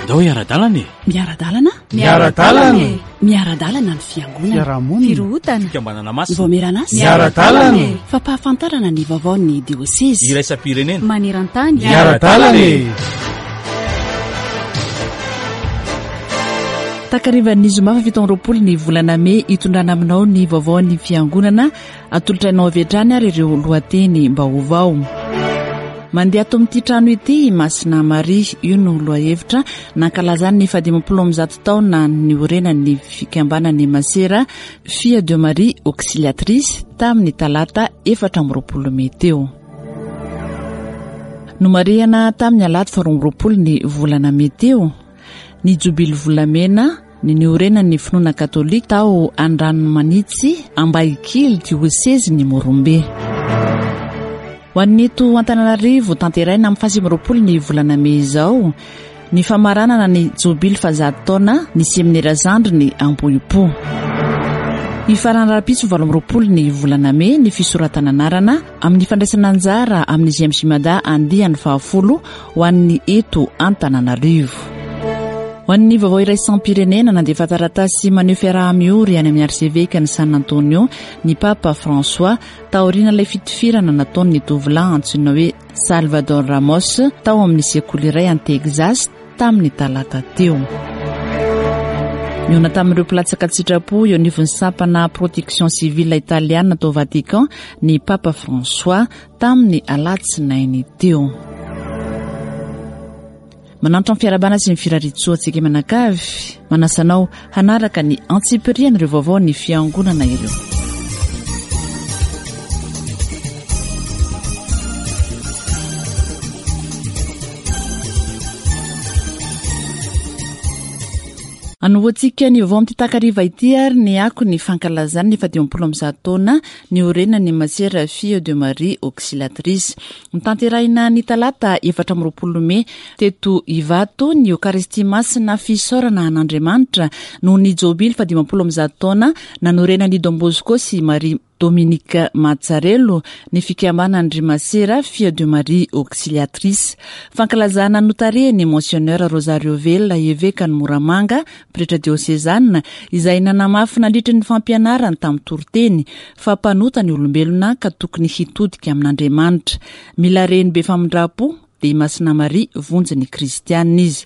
Andao hiara-dalana e! Miara-dalana? Miara-dalana e! Miara-dalana ny fiangonana. Fiarahamonina. Firohotana. Fikambanana masina. Vaomieran'asa. Miara-dalana e! Fampahafantarana ny vaovaon'ny diosezy. Iraisam-pirenena. Maneran-tany. Miara-dalana e! Takarivan'ny zoma faha 27 ny volana mey hitondrana aminao ny vaovaon'ny fiangonana Atolotra anao avy hatrany ary ireo lohateny-baovao. Mandeha ato amin'ity trano ity i Masina Maria. Io no lohahevitra nankalazany ny fahadimampolo amby zato taona niorenan'ny fikambanan'ny Masera Fille de Marie Auxiliatrice tamin'ny talata 24 mey teo. Nomarihana tamin'ny alahady faharoa amby roapolo ny volana mey teo ny jobily volamena ny niorenan'ny finoana katolika tao Andranomanitsy, Ambahikily, diosezin'i Morombe. Ho an'ny eto Antananarivo, tanteraina amin'ny faha29 ny volana mey izao ny famaranana ny jobily fahazato taona ny seminera zandriny Ambohipo. Hifarana rahampitso 28 ny volana mey ny fisoratana anarana amin'ny fandraisana anjara amin'ny GMJ Mada andiany fahafolo ho an'ny eto Antananarivo. Ho an'ny vaovao iraisam-pirenena, nandefa taratasy maneho fiaraha-miory any amin'ny arsevekan'i San Antonio ny Papa François taorian'ilay fitifirana nataon'ny tovolahy antsoina hoe Salvador Ramos tao amin'ny sekoly iray any Texas tamin'ny talata teo. Nihaona tamin'ireo mpilatsaka an-tsitrapo eo anivon'ny sampana Protection Civile Italiana tao Vatican ny Papa François tamin'ny alatsinainy teo. Manantitra ny fiarahabana sy ny firariantsoa antsika mianakavy, manasa anao hanaraka ny antsipirian'ireo vaovao ny fiangonana ireo. Anombohantsika ny vaovao amin'ity takariva ity ary ny ako ny fankalazana ny faha-150 taona niorenan'ny Masera Fille de Marie Auxiliatrice. Notanterahina ny talata 24 mey teto Ivato ny Eokaristia Masina fisaorana an'Andriamanitra noho ny jobily faha-150 taona nanorenan'i Don Bosco sy Marie Dominique Mazzarello, ny fikambanan-dry Masera Fille de Marie Auxiliatrice. Fankalazana notarihin'ny Monseigneur Rosario Vela, evekan'i Moramanga, pretra diosezana, izay nanamafy nandritry ny fampianarany tamin'ny toriteny, fa mpanota ny olombelona ka tokony hitodika amin'Andriamanitra. Mila reny be famindram-po, dia i Masina Maria vonjy ny kristiana izy.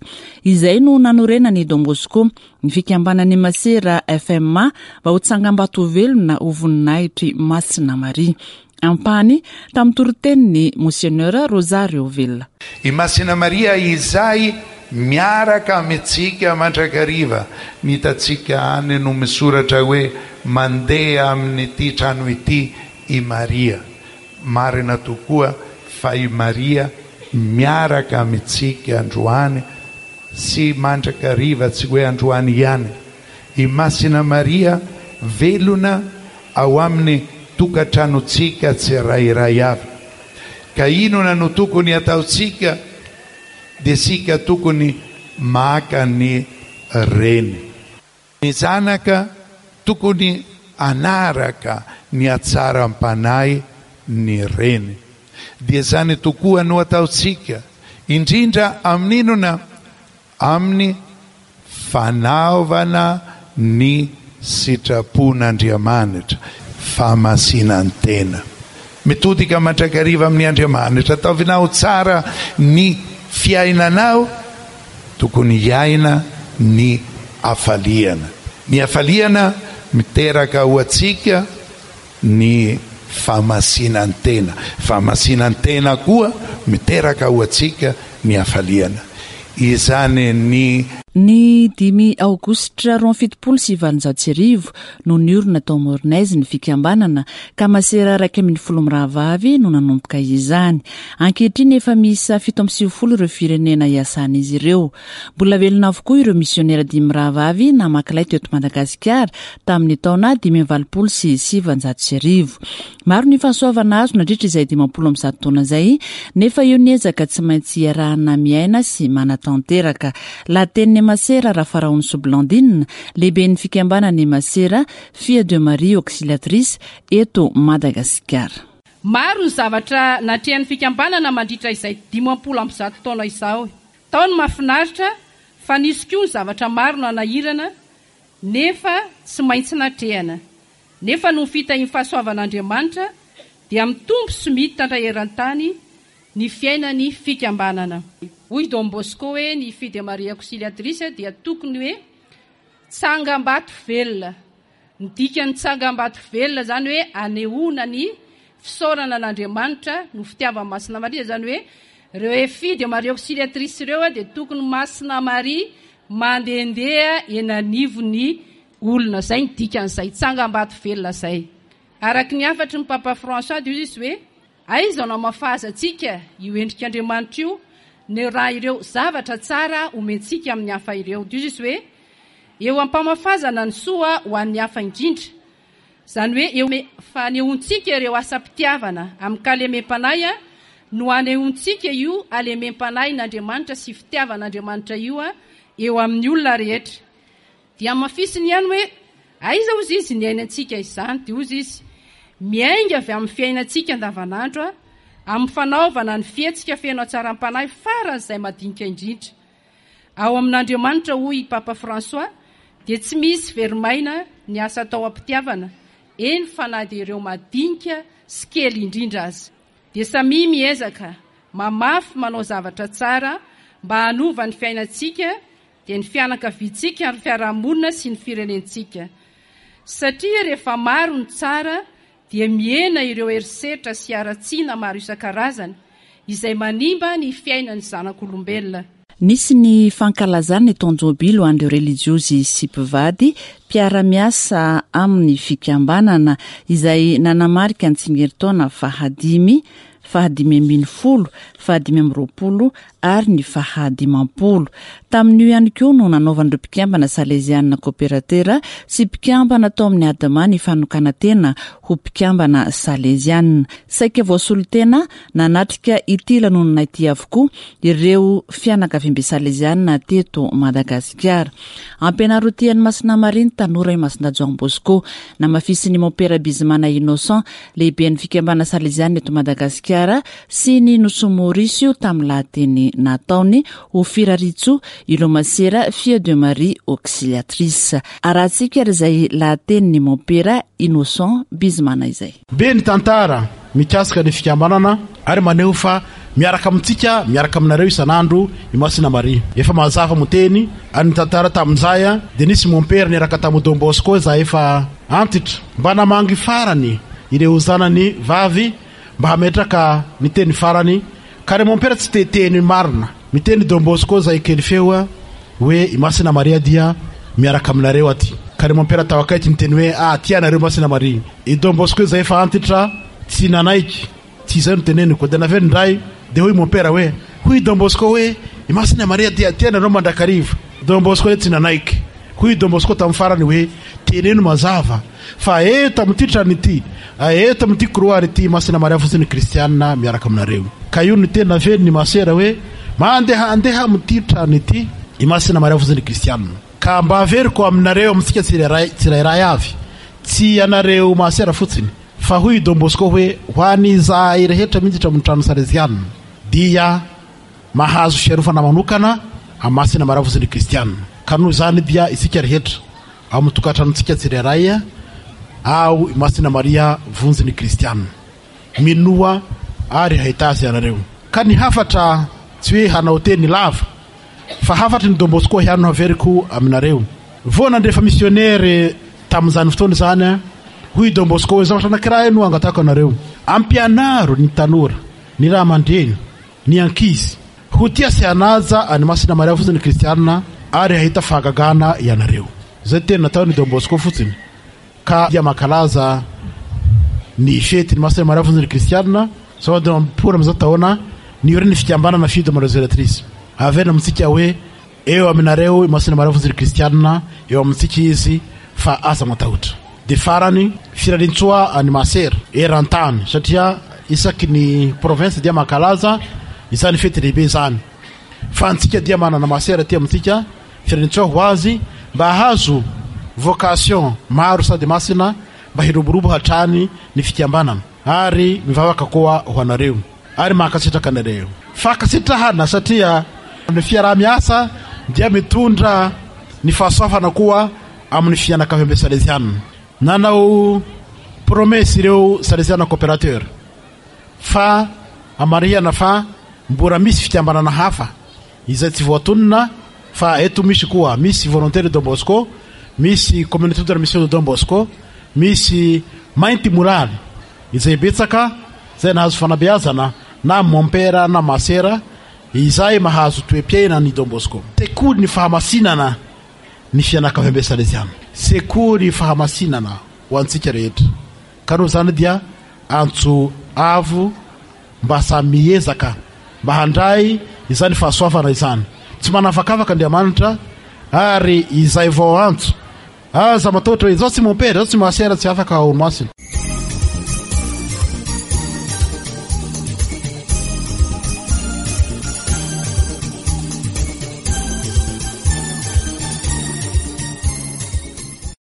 Izay no nanorenan'i Don Bosco ny fikambanan'ny masera FMA mba ho tsangambato velona ho voninahitr'i Masina Maria. Ampahany tamin'ny toritenin'i Monseigneur Rosario Villa. I Masina Maria izay miaraka amintsika mandrakariva. Ny hitantsika any no misoratra hoe mandeha amin'ity trano ity i Maria. Marina tokoa fa i Maria miaraka amintsika androany sy mandrakariva, tsy hoe androany ihany. I Masina Maria velona ao amin'ny tokantranontsika tsirairay avy. Ka inona no tokony hataontsika? Dia isika tokony maka ny reny. Ny zanaka tokony hanaraka ny hatsaram-panahy ny reny. Dia izany tokoa no ataontsika, indrindra amin'inona? Amin'ny fanaovana ny sitrapon'Andriamanitra, fahamasinan-tena. Mitodika mandrakariva amin'ny Andriamanitra. Ataovinao tsara ny fiainanao. Tokony hiaina ny hafaliana. Ny hafaliana miteraka ho antsika ny fahamasinan-tena. Fahamasinan-tena koa miteraka ho antsika ny hafaliana. Izany ny. Ny dimy aogositra 1872 no niorina tao Mornay ny fikambanana ka masera 11 mirahavavy no nanomboka izany. Ankehitriny efa miisa 97 ireo firenena iasan'izy ireo. Mbola velona avokoa ireo misionera dimy mirahavavy namaky lay teto Madagasikara tamin'ny taona 1985. Maro ny fahasoavana azo nandritra izay 150 taona izay, nefa eo ny ezaka tsy maintsy iarahana miaina sy manatanteraka. Lahatenin'i Masera Rafaraonisoa Blandine, lehiben'ny fikambanan'ny Masera Fille de Marie Auxiliatrice eto Madagasikara. Maro ny zavatra natrehan'ny fikambanana mandritra izay 150 taona izao. Tao ny mahafinaritra. Fa nisy koa ny zavatra maro nanahirana nefa tsy maintsy natrehana. Nefa noho ny fitahian'ny fahasoavan'Andriamanitra dia mitombo sy mitatra eran-tany ny fiainan'ny fikambanana. Hoy Don Bosco hoe ny Fille de Marie Auxiliatrice dia tokony hoe tsangambato velona. Ny dikan'ny tsangambato velona izany hoe anehoana ny fisaorana an'Andriamanitra no fitiavan'i Masina Maria, izany hoe ireo Fille de Marie Auxiliatrice ireo dia tokony Masina Maria mandehandeha eny anivon'ny olona. Izay ny dikan'izay tsangambato velona izay. Araka ny hafatry ny Papa François dia hoy izy hoe Aiza no hamafazantsika io endrik'Andriamanitra io no raha ireo zavatra tsara omentsika amin'ny hafa ireo? Dia hoy izy hoe, Eo am-pamafazana ny soa ho an'ny hafa indrindra, izany hoe eo fanehoantsika ireo asam-pitiavana amin-kalemem-panahy no anehoantsika io halemem-panahin'Andriamanitra sy fitiavan'Andriamanitra io eo amin'ny olona rehetra. Dia hamafisiny ihany hoe, Aiza hozy izy niainantsika izany? Dia hozy izy, Miainga avy amin'ny fiainantsika andavanandro, amin'ny fanaovana ny fihetsika feno hatsaram-panahy faran'izay madinika indrindra. Ao amin'Andriamanitra, hoy i Papa François, dia tsy misy very maina ny asa atao am-pitiavana, eny fa na dia ireo madinika sy kely indrindra aza. Dia samia miezaka, mamafy manao zavatra tsara mba hanova ny fiainantsika dia ny fianakaviantsika ary fiarahamonina sy ny firenentsika. Satria rehefa maro ny tsara dia mihena ireo herisetra sy haratsiana maro isan-karazany izay manimba ny fiainan'ny zanak'olombelona. Nisy ny fankalazana ny taon-jobily ho an'ireo relijiozy sy mpivady mpiara-miasa amin'ny fikambanana izay nanamarika ny tsingerintaona fahadimy, fahadimy ambinifolo, fahadimy amby roapolo ary ny faha 50. Tamin'io ihany koa no nanaovan'ireo mpikambana Salezianina Koperatera sy mpikambana tao amin'ny Adma ny fanokanan-tena ho mpikambana Salezianina. Saika voasolo tena nanatrika ity lanonana ity avokoa ireo fianakaviambe Salezianina teto Madagasikara. Ampianaro ho tia an'i Masina Maria ny tanora i Masina Joan Bosco. Namafisin'ny Mompera Bizimana Innocent, lehiben'ny fikambanana Salezianina eto Madagasikara sy ny Nosy Maurice io tamin'ny lahateny nataony ho firariantsoa ireo masera Fille de Marie Auxiliatrice. Arahantsika ary izay lahatenin'ny Mompera Innocent Bizimana izay. Be ny tantara mikasika ny fikambanana ary maneho fa miaraka amintsika, miaraka aminareo isan'andro i Masina Maria. Efa mazava mo teny ary ny tantara tamin'izay dia nisy mompera niaraka tamin'i Don Bosco izay efa antitra mba namangy farany ireo zanany vavy mba hametraka ny teny farany ka ry mompera tsy te teny marina miteny Don Bosco zay kely feo hoe i Masina Maria dia miaraka aminareo aty ka ry mompera tao akaiky niteny hoe ah tia anareo Masina Maria i Don Bosco zay efa antitra tsy nanaiky tsy izay no teneniko dia naveriny indray dia hoy mompera hoe hoy Don Bosco hoe i Masina Maria dia tia anareo mandrakariva Don Bosco dia tsy nanaiky hoy Don Bosco tamin'ny farany hoe teneno mazava Fa eto amin'ity trano ity, eto amin'ity couloir ity, Masina Maria fotsiny ny kristiana miaraka aminareo. Ka io no teny naveriny i Masera hoe, Mandehandeha amin'ity trano ity i Masina Maria fotsiny ny kristiana. Ka mba averiko aminareo, amintsika tsirairay, tsirairay avy, tsy ianareo Masera fotsiny, fa hoy i Don Bosco hoe, ho an'izahay rehetra miditra amin'ny trano Salesiana, dia mahazo fiarofana manokana amin'i Masina Maria fotsiny ny kristiana. Ka noho izany dia isika rehetra, Ao amin'ny tokantranontsika tsirairay ao i Masina Maria vonjy ny kristiana. Minoa ary hahita azy ianareo. Ka ny hafatra tsy hoe hanao teny lava fa hafatry ny Don Bosco ihany no haveriko aminareo. Vao nandrefa misionere tamin'izany fotoana izany hoy i Don Bosco hoe zavatra anankiray no angatahako anareo. Ampianaro ny tanora, ny ray aman-dreny, ny ankizy. Ho tia sy hanaja an'i Masina Maria fotsiny ny kristianina ary hahita fahagagana ianareo. Izay teny nataon'i Don Bosco fotsiny ka dia mankalaza ny fetin'i Masina Maria fotsiny ny kristianina. Izao 50 amin'izao taona nioren'ny fikambanana Filles de Marie Auxiliatrice. Averina amintsika hoe Eo aminareo i Masina Maria Vonjy ry Kristianina, eo amintsika izy fa aza matahotra. Dia farany, firariantsoa an'i Masera eran-tany satria isaky ny province dia mankalaza izany fety lehibe izany. Fa antsika dia manana Masera aty amintsika, firariantsoa ho azy mba hahazo vocation maro sady masina mba hiroborobo hatrany ny fikambanana ary mivavaka koa ho anareo. Ary mankasitraka anareo. Fankasitrahana satria ny fiaraha-miasa dia mitondra ny fahasoavana koa amin'ny fianakaviambe Salesiana. Nanao promesse ireo Salesiana coopérateur fa amarihana fa mbora misy fikambanana hafa izay tsy voatonona fa eto misy koa, misy Volontaire Don Bosco, misy Communauté de la Mission de Don Bosco, misy Mainty Molaly izay betsaka izay nahazo fanabeazana na mompera na masera izay mahazo toe-piainana ny Don Bosco. Sekoly ny fahamasinana ny fianakaviambe Salesiana. Sekoly fahamasinana ho antsika rehetra. Ka noho izany dia antso avo mba samy miezaka mba handray izany fahasoavana izany. Tsy manavakavaka Andriamanitra ary izay vao antso aza matahotra hoe izaho tsy mompera, izaho tsy masera, tsy afaka olomasina.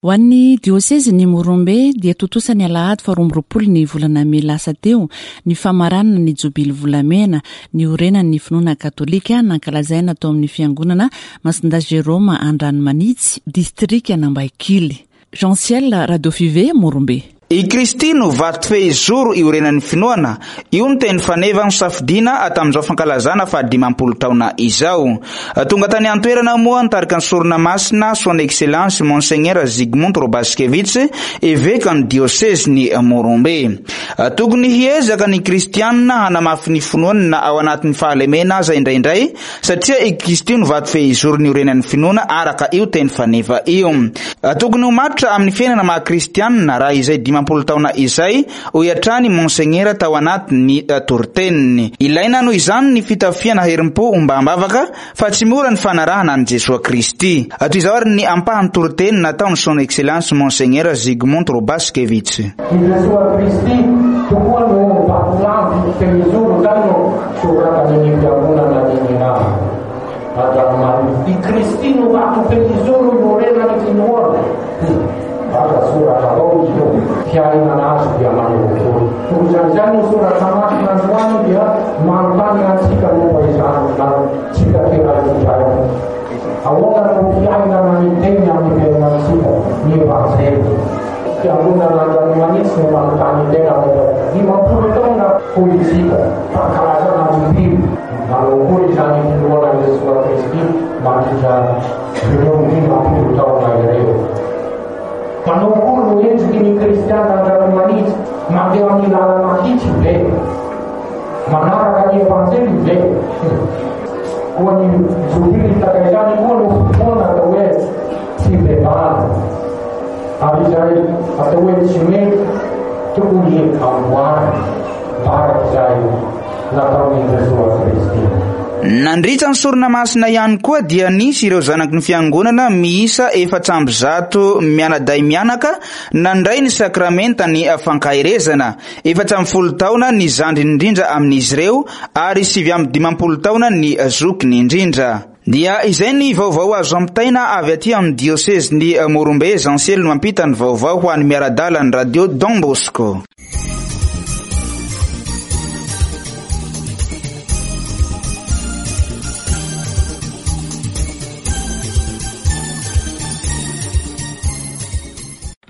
Ho an'ny diosezin'i Morombe dia tontosa ny alahady faha 22 ny volana mey lasa teo ny famaranana ny jobily volamena niorenan'ny finoana katolika nankalazaina tao amin'ny fiangonana Masindahy Jérôme Andranomanitsy, distrikan'Ambaikily. Jean Ciel, Radio Five, Morombe. I Kristy no vato fehizoro iorenan'ny finoana, io no teny faneva nosafidiana tamin'izao fankalazana fahadimampolo taona izao. Tonga tany an-toerana moa nitarika ny sorona masina Son Excellence Monseigneur Zygmunt Robaskiewicz, evekan'ny diosezin'i Morombe. Tokony hiezaka ny kristianina hanamafy ny finoany na ao anatin'ny fahalemena aza indraindray, Satria i Kristy no vato fehizoro niorenan'ny finoana araka io teny faneva io. Tokony ho matotra amin'ny fiainana maha kristianina raha izay 50 taona izay, hoy hatrany Monsegnera tao anatin'ny toriteniny. Ilaina noho izany ny fitafiana herim-po ombam-bavaka fa tsy mora ny fanarahana an'i Jesoa Kristy. Toy izao ary ny ampahan'ny toriteny nataon'i Son Excellence Monsegnera Zygmunt Robaskiewicz. I Jesoa Kristy tokoa no vatolampy fehizoro, izany no Soratany ny Fiangonana ny Mirana. Andranomanitra. I Kristy no vato fehizoro iorenan'ny finoana. Aza soratra avao izy io. Fiainana azy dia maneho-toro. Noho izany izany ny soratra masina androany dia manontany antsika momba izany antsika tsirairay. Ahoana no fiainana ny teny amin'ny fiainantsika, ny Evanjely? Fiangonana Andranomanitsy no manontany tena momba 50 taona hoy isika, fankalazana ny mpino. Manao akory izany finoana an'i Jesoa Kristy mandritra ireo 50 taona ireo? Manao akory no endriky ny kristiana Andranomanitsy? Mandeha amin'ny lalana hitsy ve? Manaraka ny Evanjely ve? Koa ny jobily tahaka izany koa no fotoana atao hoe fibebahana. Ary izay atao hoe tsy mety tokony amboarina mba araka izay nataon'i Jesoa Kristy. Nandritra ny sorona masina ihany koa dia nisy ireo zanaky ny fiangonana miisa 104 mianadahy mianaka nandray ny sakramentan'ny fankaherezana. 14 taona ny zandriny indrindra amin'izy ireo ary 59 taona ny zokiny indrindra. Dia izay ny vaovao azo ampitaina avy aty amin'ny diosezin'i Morombe, Jean Ciel no mampita ny vaovao ho an'ny miara-dalan'ny radio Don Bosco.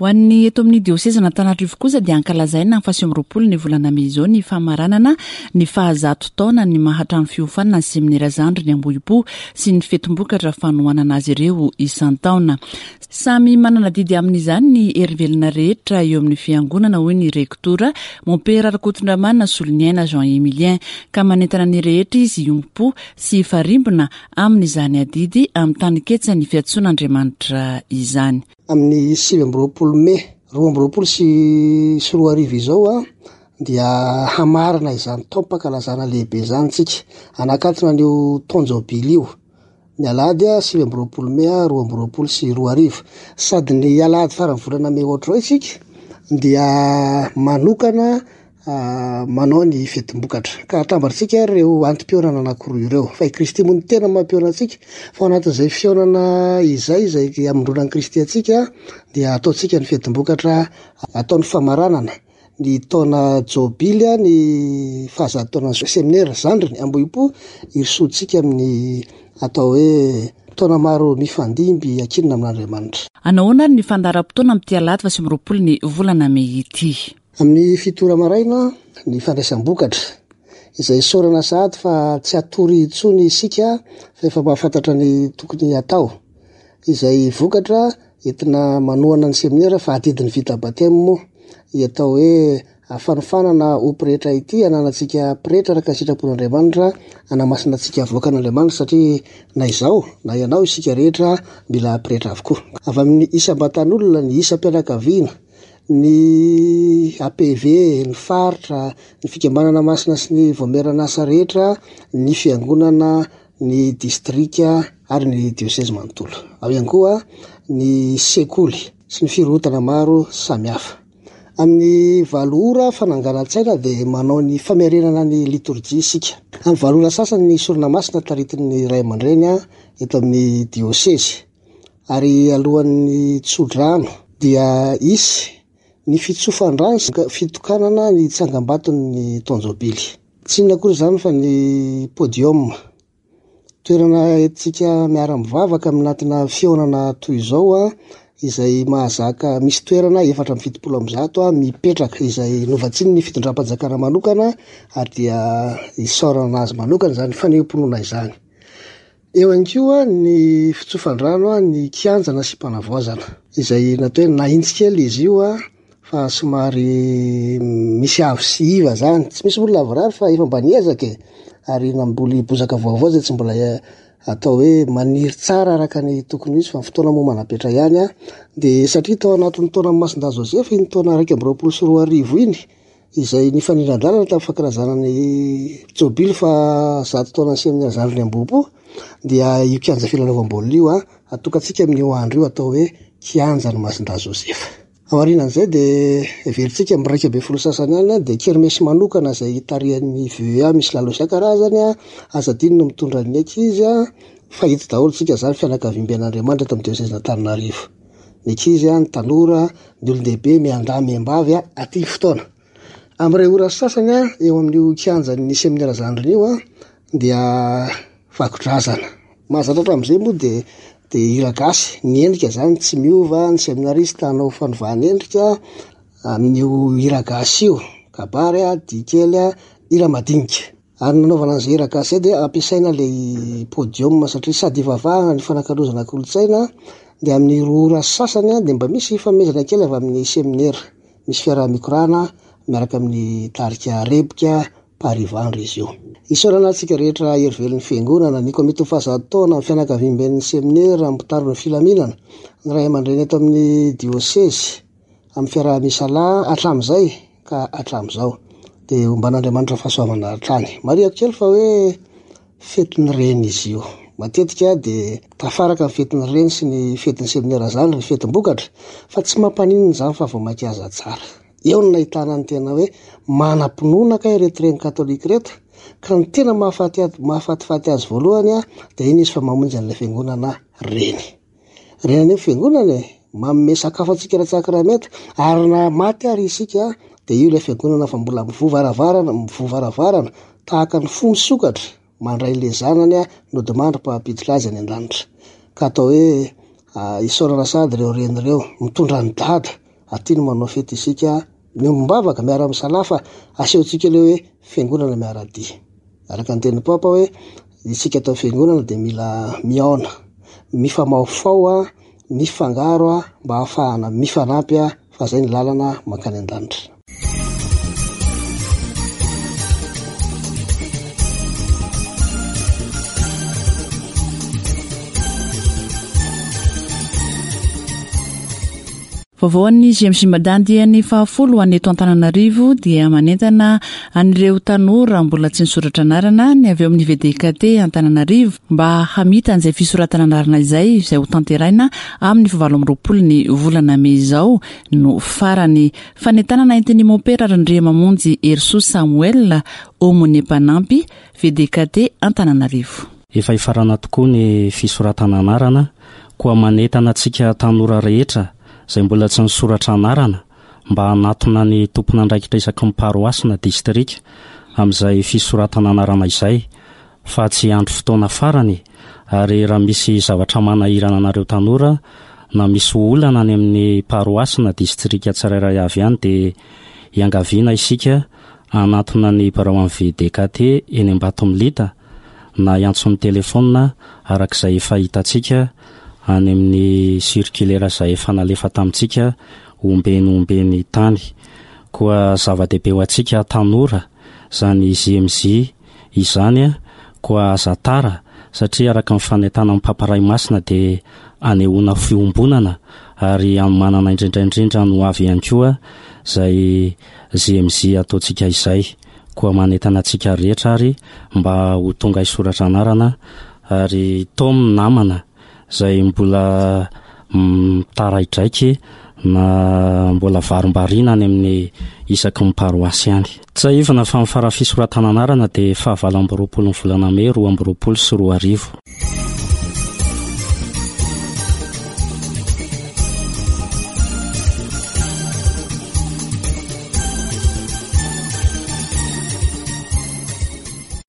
Ho an'ny eto amin'ny diosezin'Antananarivo kosa dia ankalazaina amin'ny faha 29 ny volana mey izao ny famaranana ny fahazato taona ny maha trano fiofanana ny seminera zandriny Ambohipo sy ny fetim-bokatra fanohanana azy ireo isan-taona. Samy manana adidy amin'izany ny herivelona rehetra eo amin'ny fiangonana hoy ny rektora Mompera Rakotondramanana Soloniaina Jean Emilien ka manentana ny rehetra izy hiombom-po sy hifarimbona amin'izany adidy amin'ny taninketsan'ny fiantsoan'Andriamanitra izany. Amin'ny 29 mey 2022 izao dia hamarana izany taom-pankalazana lehibe izany isika. Hanakatona an'io taon-jobily io ny alahady 29 mey 2022. Sady ny alahady faran'ny volana mey ohatr'izao isika dia manokana manao ny fetim-bokatra. Ka atambatsika ary ireo antom-pihaonana anankiroa ireo. Fa i Kristy moa no tena mampihaona antsika. Fa ao anatin'izay fihaonana izay, izay hamondronan'i Kristy antsika, dia ataontsika ny fetim-bokatra, atao ny famaranana ny taona jobily, ny fahazato taonan'ny seminera zandriny Ambohipo, hirosoantsika amin'ny. atao hoe taona maro mifandimby ankinina amin'Andriamanitra. Anahoana ary ny fandaharam-potoana amin'ity alahady faha 29 ny volana mey ity? Amin'ny fito ora maraina ny fandraisam-bokatra, izay isaorana sahady fa tsy hatory intsony isika fa efa mahafantatra ny tokony hatao. Izay vokatra entina manohana ny seminera fa adidin'ny vita batemy moa ny atao hoe fanofanana ho pretra ity, ananantsika pretra araka ny sitrapon'Andriamanitra, hanamasina antsika avoakan'Andriamanitra satria na izaho na ianao isika rehetra mila pretra avokoa. Avy amin'ny isam-batan'olona, ny isam-pianakaviana, ny APV, ny faritra, ny fikambanana masina sy ny vaomieran'asa rehetra, ny fiangonana, ny distrika ary ny diosezy manontolo. Ao ihany koa ny sekoly sy ny firohotana maro samihafa. Amin'ny valo ora fananganan-tsaina dia manao ny famerenana ny litorjia isika. Amin'ny valo ora sasany ny sorona masina taritin'ny ray aman-dreny eto amin'ny diosezy. Ary alohan'ny tsodrano dia hisy ny fitsofan-drano sy fitokanana ny tsangambaton'ny taon-jobily. Tsy inona akory izany fa ny podium. Toerana entintsika miara-mivavaka aminatina fihaonana toy izao izay mahazaka misy toerana 174 mipetraka izay novatsian'ny fitondram-panjakana manokana ary dia isaorana azy manokana izany fanehoam-pinoana izany. Eo ihany koa ny fitsofan-drano ny kianja nasiam-panavaozana izay natao hoe nahintsy kely izy io fa somary misy avo sy iva zany, tsy misy olona lavorary fa efa mba niezaka e, ary namboly bozaka vaovao zay tsy mbola atao hoe maniry tsara araka ny tokony ho izy fa ny fotoana moa manapetra ihany an, de satria tao anatin'ny taonan'i Masindahy Joseph iny taona 2021 iny, izay nifanindran-dalana tamin'ny fankalazana ny jobily faha zato taonan'ny seminera Zandriny Ambohipo dia io kianja filalaovam-baolina io an, atokantsika amin'io andro io atao hoe kianjan'i Masindahy Joseph. Aorianan'izay dia heverintsika amin'ny 11 sasany any dia kermesy manokana izay tarihan'ny VEA misy lalao isan-karazany, aza adino ny mitondra ny ankizy fa eto daholo isika izany fianakaviamben'Andriamanitra eto amin'ny diosezin'Antananarivo. Ny ankizy, ny tanora, ny olon-dehibe miandahy miambavy aty ny fotoana. Amin'ireo ora sasany eo amin'io kianjan'ny seminera zandriny io dia vakodrazana. Mahazatra hatramin'izay moa dia dia hira gasy. Ny endrika izany tsy miova, ny seminarista hanao fanovana endrika amin'io hira gasy io, kabary, dihy kely, hira madinika. Ary ny nanaovana an'izay hira gasy izay dia ampiasaina ilay podium satria sady ivavahana ny fanakalozana kolontsaina dia amin'ny roa ora sy sasany dia mba misy fanomezana kely avy amin'ny seminera. Misy fiaraha-mikorana miaraka amin'ny tarika Rebika Paris Ivandry izy io. Isaorana antsika rehetra hery velon'ny fiangonana, ny komity fahazato taona, ny fianakaviamben'ny seminera, ny mpitandro ny filaminana, ny ray aman-dreny eto amin'ny diosezy amin'ny fiaraha-misalahy hatramin'izay ka hatramin'izao. Dia homban'Andriamanitra fahasoavana hatrany. Marihako kely fa hoe fetin'ny reny izy io. Matetika dia tafaraka ny fetin'ny reny sy ny fetin'ny seminera izany ry fetim-bokatra fa tsy mampaninona izany fa vao mainka aza tsara. Eo no nahitana ny tena hoe manam-pinoana kay ireto reny katolika ireto ka ny tena mahafatifaty azy voalohany dia iny izy fa mamonjy an'ilay fiangonana reny. Reny anefa fiangonana e, manome sakafo antsika ara-tsakramenta ary na maty ary isika dia io ilay fiangonana fa mbola mivoha varavarana, mivoha varavarana tahaka ny fo misokatra mandray ilay zanany nodimandry mba hampiditra azy any an-danitra. Ka atao hoe isaorana sahady ireo reny ireo, mitondra an'i dada, aty no manao fety isika, miombom-bavaka, miara-misalahy fa asehontsika ilay hoe fiangonana miara-dia. Araka ny tenin'ny Papa hoe isika ato amin'ny fiangonana dia mila mihaona, mifamahofaho, mifangaro mba hahafahana mifanampy fa izay ny lalana mankany an-danitra. Vaovao an'ny GMJ Mada andiany fahafolo ho an'ny eto Antananarivo dia manentana an'ireo tanora mbola tsy nisoratra anarana ny avy eo amin'ny VDKT Antananarivo mba hamita an'izay fisoratana anarana izay izay ho tanteraina amin'ny fahavalo amby 20 ny volana mey izao no farany. Fanentanana entin'ny Mompera Randriamamonjy Herisoa Samuel, Aumônier mpanampy, VDKT Antananarivo. Efa hifarana tokoa ny fisoratana anarana, koa manentana antsika tanora rehetra izay mbola tsy nisoratra anarana mba hanatona ny tompon'andraikitra isaky ny paroasy na distrika amin'izay fisoratana anarana izay. fa tsy hiandry fotoana farany ary raha misy zavatra manahirana anareo tanora na misy olana any amin'ny paroasy na distrika tsirairay avy any dia iangaviana isika hanantona ny birao an'ny VDKT eny Ambatomilita na hiantso ny telefaonina araka izay efa hitantsika any amin'ny circulaire izay efa nalefa tamintsika ombeny ombeny tany. Koa zava-dehibe ho antsika tanora izany JMJ izany koa aza tara satria araka ny fanentanan'ny Papa Ray Masina dia anehoana fiombonana ary hanomanana indrindra indrindra ny ho avy ihany koa izay JMJ ataontsika izay. Koa manentana antsika rehetra ary mba ho tonga hisoratra anarana ary taomy ny namana izay mbola mitaraidraiky na mbola varimbariana any amin'ny isaky ny paroasy any. Tsiahivina fa ny fara fisoratana anarana dia faha 28 ny volana mey 2022.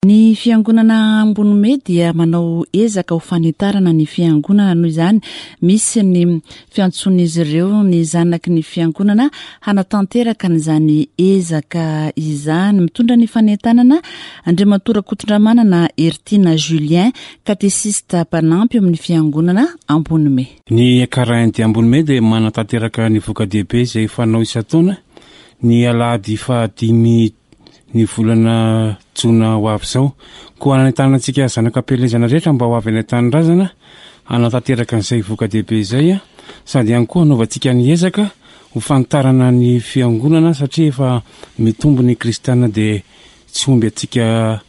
Ny fiangonana Ambonome dia manao ezaka ho fanitarana ny fiangonana noho izany misy ny fiantsoan'izy ireo ny zanaky ny fiangonana hanatanteraka an'izany ezaka izany. Mitondra ny fanentanana Andriamatoa Rakotondramanana Heritiana Julien, katesista mpanampy eo amin'ny fiangonana Ambonome. Ny Ekar dia Ambonome dia manatanteraka ny voka-dehibe izay fanao isan-taona ny alahady fahadimy ny volana jona ho avy izao. Koa hanentanana antsika zanak'ampielezana rehetra mba ho avy any an-tanindrazana hanatanteraka an'izay voka-dehibe izay sady ihany koa hanaovantsika ny ezaka ho fanitarana ny fiangonana satria efa mitombo ny kristiana dia tsy omby antsika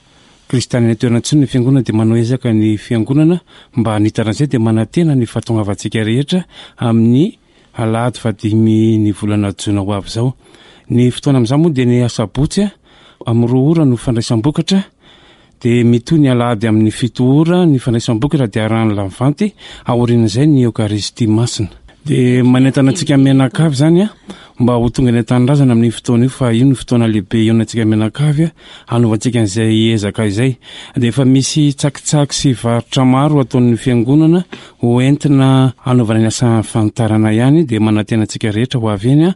kristiana any an-toerana intsony ny fiangonana dia manao ezaka ny fiangonana mba hanitana an'izay dia manantena ny fahatongavantsika rehetra amin'ny Alahady fahadimy ny volana jona ho avy izao. Ny fotoana amin'izany moa dia ny asabotsy amin'ny roa ora no fandraisam-bokatra, dia mitohy ny alahady amin'ny fito ora ny fandraisam-bokatra dia arahan'ny lavanty, aorian'izay ny Eokaristia Masina. Dia manentana antsika mianakavy izany mba ho tonga eny an-tanindrazana amin'io fotoana io fa io no fotoana lehibe hihaonantsika mianakavy hanaovantsika an'izay ezaka izay. Dia efa misy tsakitsaky sy varotra maro ataon'ny fiangonana Ho entina hanaovana ny asa fanitarana ihany dia manantena antsika rehetra ho avy eny.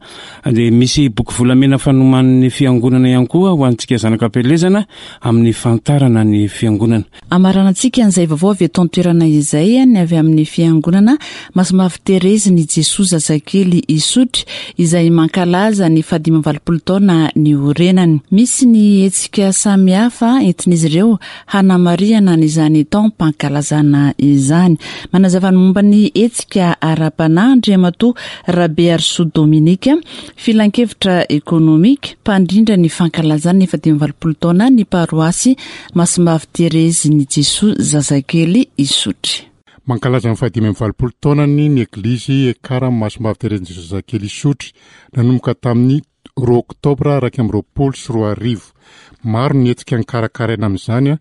Dia misy boky volamena fanoman'ny fiangonana ihany koa ho antsika zanak'ampielezana amin'ny fanitarana ny fiangonana. Hamaranantsika an'izay vaovao avy eto an-toerana izay ny avy amin'ny fiangonana Masimbavy Terezy ny Jesoa Zazakely Isotry izay mankalaza ny fahadimy amby 80 taona niorenany. Misy ny hetsika samihafa entin'izy ireo hanamarihana an'izany taom-pankalazana izany. Manazava ny momba ny hetsika ara-panahy Andriamatoa Rabearisoa Dominique, Filankevitra ekonomika, mpandrindra ny fankalazana ny 85 taona ny paroasy Masimbavy Terezin'i Jesoa Zazakely Isotry. Mankalaza ny faha-85 taonany ny Eglizy Ekar Masimbavy Terezin'i Jesoa Zazakely Isotry, nanomboka tamin'ny roa oktobra 2021. Maro ny hetsika nokarakaraina amin'izany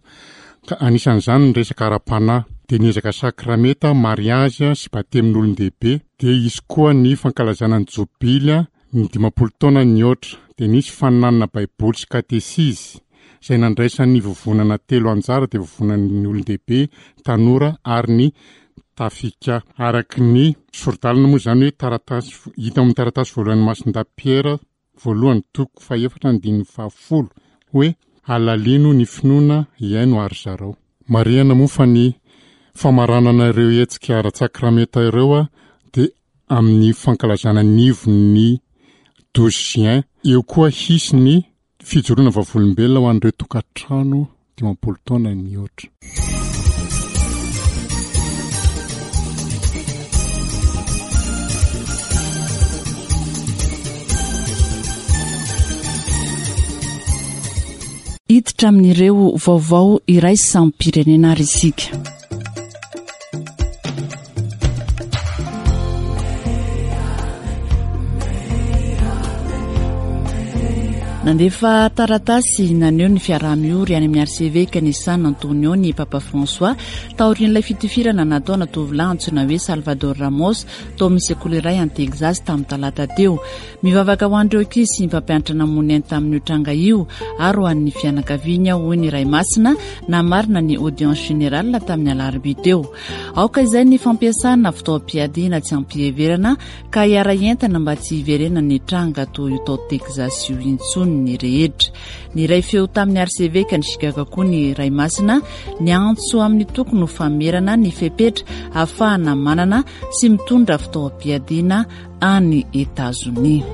ka anisan'izany ny resaka ara-panahy, dia ny ezaka sakramenta, mariazy sy batemin'olon-dehibe, dia hisy koa ny fankalazana ny jobily ny 50 taona nihoatra, dia nisy faninanana baiboly sy katesizy izay nandraisan'ny vovonana telo anjara dia vovonan'ny olon-dehibe, tanora ary ny tafika. Araka ny sori-dalana moa izany hoe taratasy hita ao amin'ny taratasy voalohan'i Masindahy Piera voalohany toko fahefatra andininy fahafolo hoe alalino ny finoana hihaino ary zarao. Marihana moa fa ny famaranana ireo hetsika ara-tsakramenta ireo dia amin'ny fankalazana ny ivon'ny douze juin. Eo koa hisy ny Fijoroana vavolombelona ho an'ireo tokantrano 50 taona mihoatra. Hiditra amin'ireo vaovao iraisam-pirenena ary isika. Nandefa taratasy naneho ny fiaraha-miory any amin'ny arsevekan'i San Antonio ny Papa François taorian'ilay fitifirana nataona tovolahy antsoina hoe Salvador Ramos tao amin'ny sekoly iray any Texas tamin'ny talata teo. Mivavaka ho an'ireo ankizy sy ny mpampianatra namono ny ainy tamin'io tranga io ary ho an'ny fianakaviany aho, hoy ny Ray Masina namarina ny audience générale tamin'ny alarobia teo. Aoka izay ny fampiasana fitaovam-piadiana tsy am-piheverana ka hiara-hientana mba tsy hiverenan'ny tranga toy io tao Texas io intsony ny rehetra. Niray feo tamin'ny arsevekan'i Chicago koa ny Ray Masina niantso amin'ny tokony ho famerana ny fepetra ahafahana manana sy mitondra fitaovam-piadiana any Etazonia.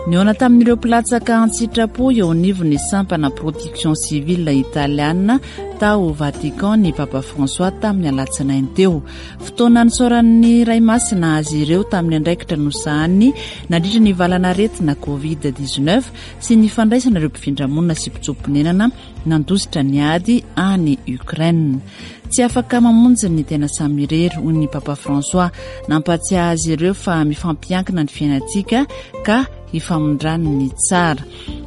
Nihaona tamin'ireo mpilatsaka an-tsitrapo eo anivon'ny sampana Protection Civile Italiana tao Vatican ny Papa François tamin'ny alatsinainy teo. Fotoana nisaoran'ny Ray Masina azy ireo tamin'ny andraikitra nosahaniny nandritra ny valanaretina Covid 19 sy ny fandraisana ireo mpifindramonina sy mpitsoa-ponenana nandositra ny ady any Ukraine. Tsy afaka mamonjy ny tena samy irery, hoy ny Papa François. Nampahatsiahy azy ireo fa mifampiankina ny fiainantsika ka hifamindrany ny tsara.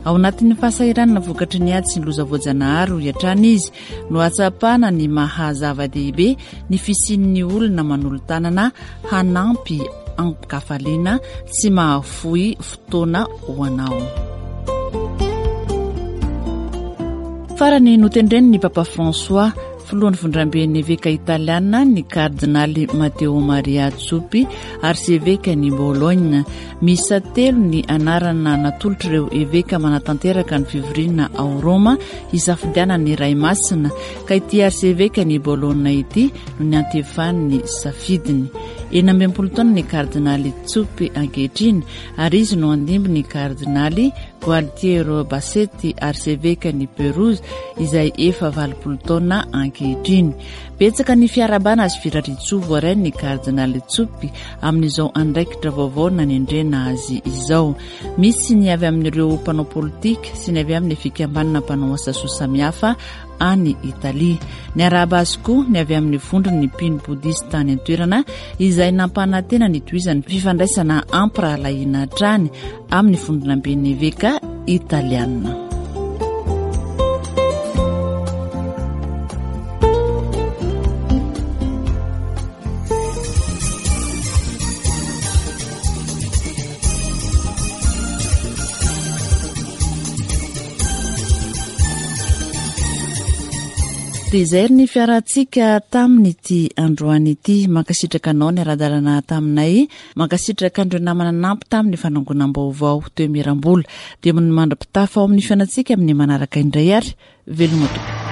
Ao anatin'ny fahasahiranana vokatry ny ady sy ny loza voajanahary, hoy hatrany izy, no hahatsapana ny maha zava-dehibe ny fisian'ny olona manolo-tanana hanampy an-kafaliana tsy mahafoy fotoana ho anao. Farany notendren'ny Papa François, filohan'ny vondramben'ny eveka italiana, ny kardinaly Matteo Maria Zuppi, arsevekan'i Bologne. Miisa telo ny anarana natolotr'ireo eveka manatanteraka ny fivoriana ao Roma hisafidianana ny Ray Masina, ka ity arsevekan'i Bologne ity no niantefan'ny safidiny. 66 taona ny kardinaly Zuppi ankehitriny ary izy no handimby ny kardinaly Gualtiero Bassetti, arsevekan'i Perouse, izay efa 80 taona ankehitriny. Betsaka ny fiarahabana sy firariantsoa voarain'ny kardinaly Zuppi amin'izao andraikitra vaovao nanendrena azy izao. Misy ny avy amin'ireo mpanao politika sy ny avy amin'ny fikambanana mpanao asa soa samihafa any Italia. Niarahaba azy koa ny avy amin'ny vondron'ny mpino bodista any an-toerana izay nampanantena ny hitohizan'ny fifandraisana ampirahalahiana hatrany amin'ny vondronamben'ny eveka italiana. Dia izay ry ny fiarahantsika tamin'ity androany ity. Mankasitraka anao niara-dalana taminay. Mankasitraka an'ireo namana nanampy tamin'ny fanangonam-baovao teo Mirambola. Dia mandra-pitafa ao amin'ny fiainantsika amin'ny manaraka indray ary veloma tompoko.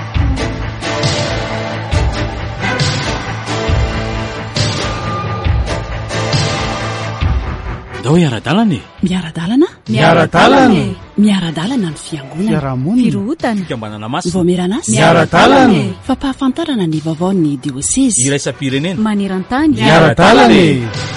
Ndao hiara-dalana e! Miara-dalana? Miara-dalana e! Miara-dalana ny fiangonana. Fiarahamonina. Firohotana. Fikambanana masina. Vaomieran'asa. Miara-dalana e! Fampahafantarana ny vaovaon'ny diosezy. Iraisam-pirenena. Maneran-tany. Miara-dalana e!